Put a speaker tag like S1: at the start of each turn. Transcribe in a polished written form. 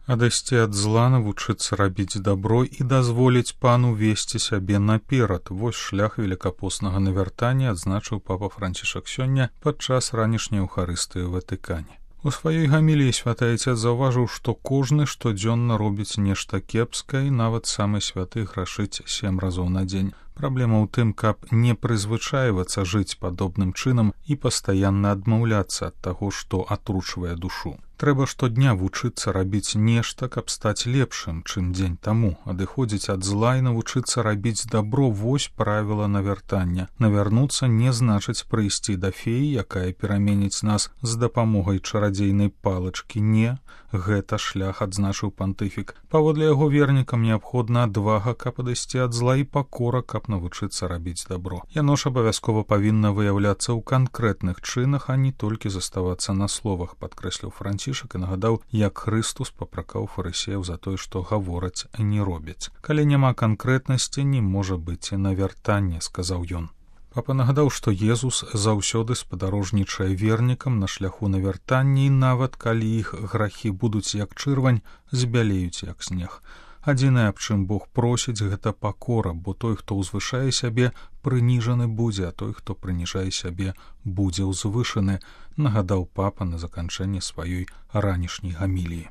S1: Адысці ад зла, навучыцца рабіць дабро і дазволіць пану весці сябе наперад. Вось шлях велікапоснага навяртання, адзначыў папа Францішак сёння падчас ранішняй эўхарыстыі ў Ватыкане. У сваёй гаміліі святы айцец заўважыў, што кожны штодзённа робіць нешта кепскае, і нават самы святы грашыць 7 разоў на дзень. Праблема ў тым, каб не прызвычайвацца жыць падобным чынам і пастаянна адмаўляцца ад таго, што атручвае душу. Трэба штодня вучыцца рабіць нешта, каб стаць лепшым, чым дзень таму, адыходзіць ад зла і навучыцца рабіць дабро. Вось правіла навяртання. Навярнуцца не значыць прыйсці да феі, якая пераменіць нас з дапамогай чарадзейнай палачкі. Не, гэта шлях, адзначыў пантыфік. Паводле яго вернікам неабходна адвага, каб адысці ад зла, і пакора, каб навучыцца рабіць дабро. Яно ж абавязкова павінна выяўляцца ў канкрэтных чынах, а не толькі заставацца на словах, падкрэсліў Францішак і нагадаў, як Хрыстус папракаў фарысеяў за тое, што гавораць, а не робяць. Калі няма канкрэтнасці, не можа быць і навяртання, сказаў ён. Папа нагадаў, што Езус заўсёды спадарожнічае вернікам на шляху навяртання, і нават калі іх грахі будуць як чырвань, збялеюць як снег. Адзінае, аб чым Бог просіць, гэта пакора, бо той, хто ўзвышае сябе, прыніжаны будзе, а той, хто прыніжае сябе, будзе ўзвышаны, нагадаў папа на заканчэнні сваёй ранішняй гаміліі.